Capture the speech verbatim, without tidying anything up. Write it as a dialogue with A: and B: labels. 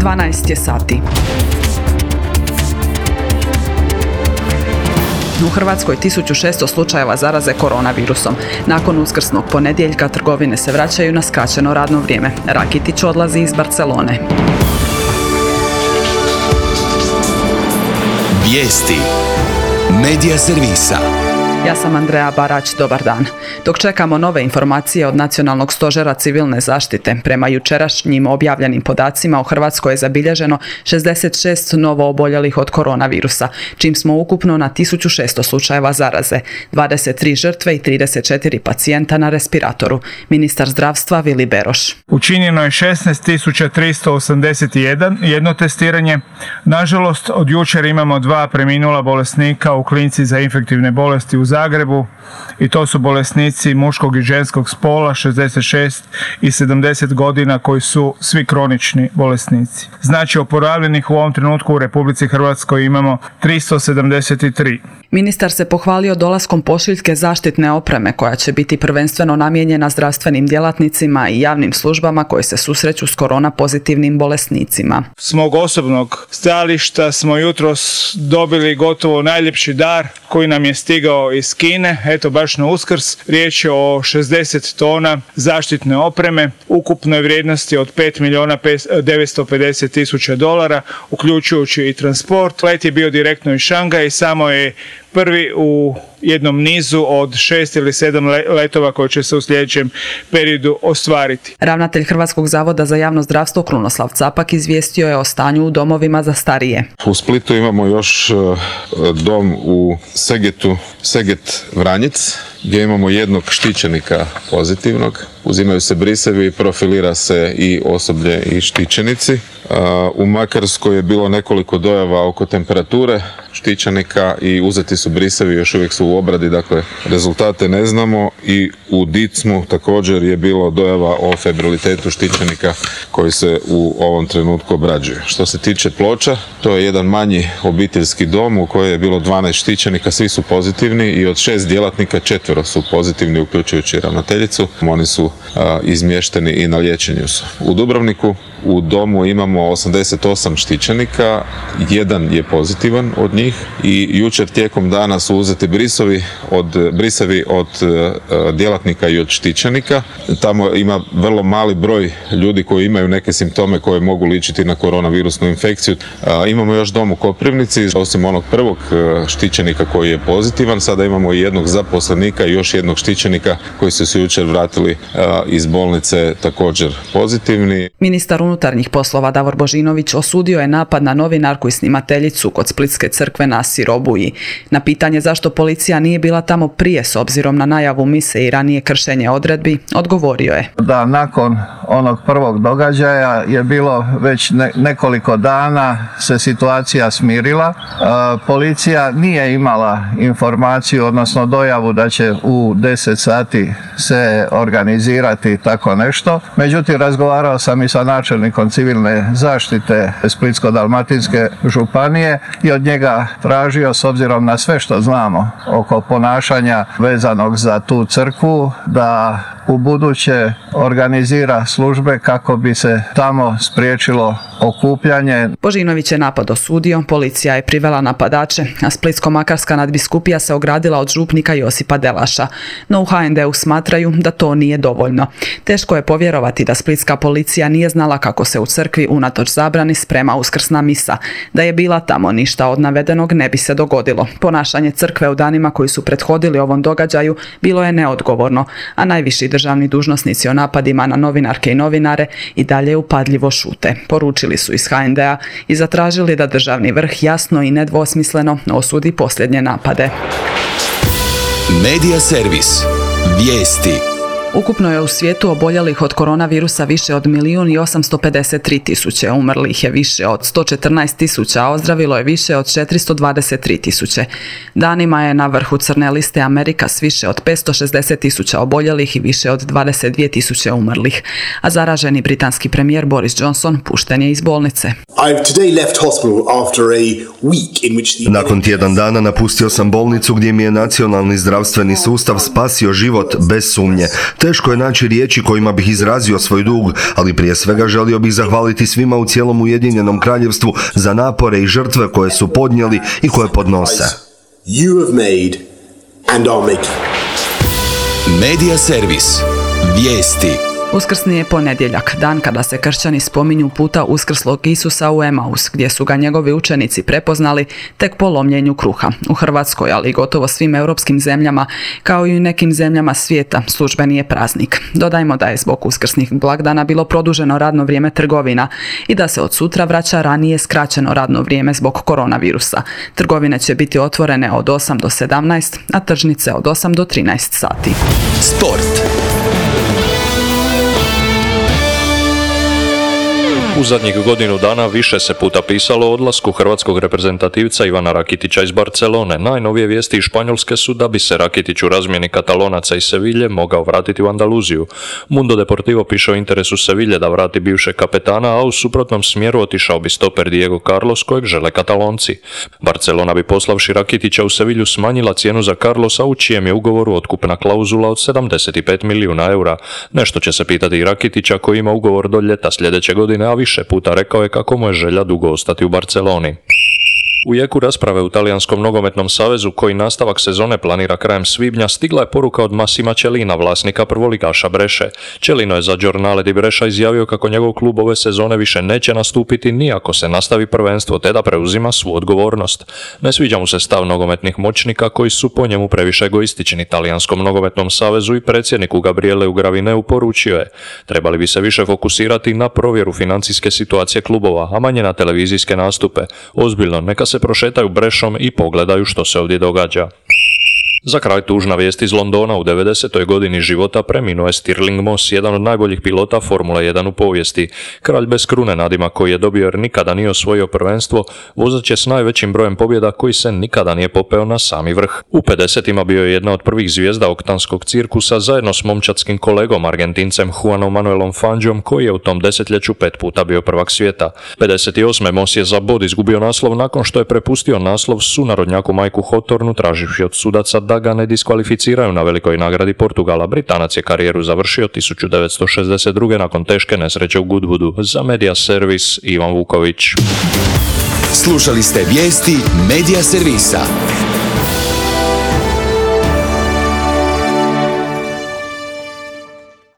A: dvanaest je sati. U Hrvatskoj tisuću šesto slučajeva zaraze koronavirusom. Nakon uskrsnog ponedjeljka trgovine se vraćaju na skraćeno radno vrijeme. Rakitić odlazi iz Barcelone.
B: Vijesti Medija servisa.
A: Ja sam Andreja Barać, dobar dan. Dok čekamo nove informacije od Nacionalnog stožera civilne zaštite, prema jučerašnjim objavljenim podacima u Hrvatskoj je zabilježeno šezdeset šest novo oboljelih od koronavirusa, čim smo ukupno na tisuću šesto slučajeva zaraze, dvadeset tri žrtve i trideset četiri pacijenta na respiratoru. Ministar zdravstva Vili Beroš.
C: Učinjeno je šesnaest tisuća tristo osamdeset jedan jedno testiranje. Nažalost, od jučer imamo dva preminula bolesnika u klinici za infektivne bolesti u Zagrebu i to su bolesnici muškog i ženskog spola, šezdeset šest i sedamdeset godina, koji su svi kronični bolesnici. Znači, oporavljenih u ovom trenutku u Republici Hrvatskoj imamo tristo sedamdeset tri.
A: Ministar se pohvalio dolaskom pošiljke zaštitne opreme koja će biti prvenstveno namijenjena zdravstvenim djelatnicima i javnim službama koji se susreću s korona pozitivnim bolesnicima.
C: S mog osobnog stajališta smo jutros dobili gotovo najljepši dar koji nam je stigao iz Kine, eto baš na Uskrs. Riječ je o šezdeset tona zaštitne opreme, ukupnoj vrijednosti od pet milijuna devetsto pedeset tisuća dolara, uključujući i transport. Let je bio direktno iz Šangaja i samo je prvi u jednom nizu od šest ili sedam letova koji će se u sljedećem periodu ostvariti.
A: Ravnatelj Hrvatskog zavoda za javno zdravstvo Krunoslav Capak izvijestio je o stanju u domovima za starije.
D: U Splitu imamo još dom u Segetu, Seget Vranjic, gdje imamo jednog štićenika pozitivnog. Uzimaju se brisevi, profilira se i osoblje i štićenici. U Makarskoj je bilo nekoliko dojava oko temperature štićenika i uzeti su brisevi, još uvijek su u obradi, dakle rezultate ne znamo. I u Dicmu također je bilo dojava o febrilitetu štićenika koji se u ovom trenutku obrađuje. Što se tiče Ploča, to je jedan manji obiteljski dom u kojem je bilo dvanaest štićenika, svi su pozitivni i od šest djelatnika četvero su pozitivni, uključujući ravnateljicu. Oni su a, izmješteni i na liječenju su. U Dubrovniku u domu imamo osamdeset osam štićenika, jedan je pozitivan od njih i jučer tijekom dana su uzeti brisovi od, brisevi od uh, djelatnika i od štićenika. Tamo ima vrlo mali broj ljudi koji imaju neke simptome koje mogu ličiti na koronavirusnu infekciju. Uh, imamo još dom u Koprivnici, osim onog prvog uh, štićenika koji je pozitivan, sada imamo i jednog zaposlenika i još jednog štićenika koji su se jučer vratili uh, iz bolnice također pozitivni.
A: Ministar unutarnjih poslova Davor Božinović osudio je napad na novinarku i snimateljicu kod Splitske crkve na Sirobuji. Na pitanje zašto policija nije bila tamo prije s obzirom na najavu mise i ranije kršenje odredbi, odgovorio je.
E: Da, nakon onog prvog događaja je bilo već ne, nekoliko dana se situacija smirila. E, policija nije imala informaciju, odnosno dojavu da će u deset sati se organizirati tako nešto. Međutim, razgovarao sam i sa načelnikom civilne zaštite Splitsko-dalmatinske županije i od njega tražio, s obzirom na sve što znamo oko ponašanja vezanog za tu crkvu, da u buduće organizira službe kako bi se tamo spriječilo okupljanje.
A: Božinović je napad osudio, policija je privela napadače, a Splitsko-makarska nadbiskupija se ogradila od župnika Josipa Delaša. No u ha en de u smatraju da to nije dovoljno. Teško je povjerovati da splitska policija nije znala kako se u crkvi unatoč zabrani sprema uskrsna misa. Da je bila tamo, ništa od navedenog ne bi se dogodilo. Ponašanje crkve u danima koji su prethodili ovom događaju bilo je neodgovorno, a najviši državni dužnosnici o napadima na novinarke i novinare i dalje upadljivo šute. Poručili su iz ha en de a i zatražili da državni vrh jasno i nedvosmisleno osudi posljednje napade.
B: Medija servis. Vijesti.
A: Ukupno je u svijetu oboljelih od koronavirusa više od milijun i osamsto pedeset tri tisuće, umrlih je više od sto četrnaest tisuća, a ozdravilo je više od četiristo dvadeset tri tisuće. Danima je na vrhu crne liste Amerika s više od petsto šezdeset tisuća oboljelih i više od dvadeset dvije tisuće umrlih, a zaraženi britanski premijer Boris Johnson pušten je iz bolnice.
F: Nakon tjedan dana napustio sam bolnicu gdje mi je nacionalni zdravstveni sustav spasio život bez sumnje. Teško je naći riječi kojima bih izrazio svoj dug, ali prije svega želio bih zahvaliti svima u cijelom Ujedinjenom Kraljevstvu za napore i žrtve koje su podnijeli i koje podnose.
B: You have made and are making. Medija servis. Vijesti.
A: Uskrsni je ponedjeljak, dan kada se kršćani spominju puta uskrslog Isusa u Emaus, gdje su ga njegovi učenici prepoznali tek po lomljenju kruha. U Hrvatskoj, ali i gotovo svim europskim zemljama, kao i u nekim zemljama svijeta, službeni je praznik. Dodajmo da je zbog uskrsnih blagdana bilo produženo radno vrijeme trgovina i da se od sutra vraća ranije skraćeno radno vrijeme zbog koronavirusa. Trgovine će biti otvorene od osam do sedamnaest, a tržnice od osam do trinaest sati.
B: Sport.
G: U zadnjih godinu dana više se puta pisalo o odlasku hrvatskog reprezentativca Ivana Rakitića iz Barcelone. Najnovije vijesti iz Španjolske su da bi se Rakitić u razmjeni Katalonaca i Sevilje mogao vratiti u Andaluziju. Mundo Deportivo piše o interesu Sevilje da vrati bivšeg kapetana, a u suprotnom smjeru otišao bi stoper Diego Carlos kojeg žele Katalonci. Barcelona bi poslavši Rakitića u Sevilju smanjila cijenu za Carlosa, u čijem je ugovoru otkupna klauzula od sedamdeset pet milijuna eura. Nešto će se pitati i Rakitića koji ima ugovor do ljeta sljedeće godine, a više puta rekao je kako mu je želja dugo ostati u Barceloni. U jeku rasprave u Talijanskom nogometnom savezu, koji nastavak sezone planira krajem svibnja, stigla je poruka od Massima Cellina, vlasnika prvoligaša Breše. Cellino je za Giornale di Brescia izjavio kako njegov klub ove sezone više neće nastupiti ni ako se nastavi prvenstvo, te da preuzima svu odgovornost. Ne sviđa mu se stav nogometnih moćnika koji su po njemu previše egoistični. Talijanskom nogometnom savezu i predsjedniku Gabrieleu Gravineu poručio je: trebali bi se više fokusirati na provjeru financijske situacije klubova, a manje na televizijske nastupe. Ozbiljno, neka se se prošetaju Brešom i pogledaju što se ovdje događa. Za kraj tužna vijest iz Londona. U devedesetoj godini života preminuo je Stirling Moss, jedan od najboljih pilota Formule jedan u povijesti. Kralj bez krune, nadimak koji je dobio jer nikada nije osvojio prvenstvo, vozač je s najvećim brojem pobjeda koji se nikada nije popeo na sami vrh. U pedesetima bio je jedna od prvih zvijezda oktanskog cirkusa zajedno s momčadskim kolegom Argentincem Juanom Manuelom Fangiom, koji je u tom desetljeću pet puta bio prvak svijeta. pedeset osme Moss je za bod izgubio naslov nakon što je prepustio naslov sunarodnjaku Mike'u Hawthornu traživši od sudaca da ga ne diskvalificiraju na velikoj nagradi Portugala. Britanac je karijeru završio tisuću devetsto šezdeset druge nakon teške nesreće u Goodwoodu. Za Medija servis Ivan Vuković.
B: Slušali ste vijesti Medija servisa.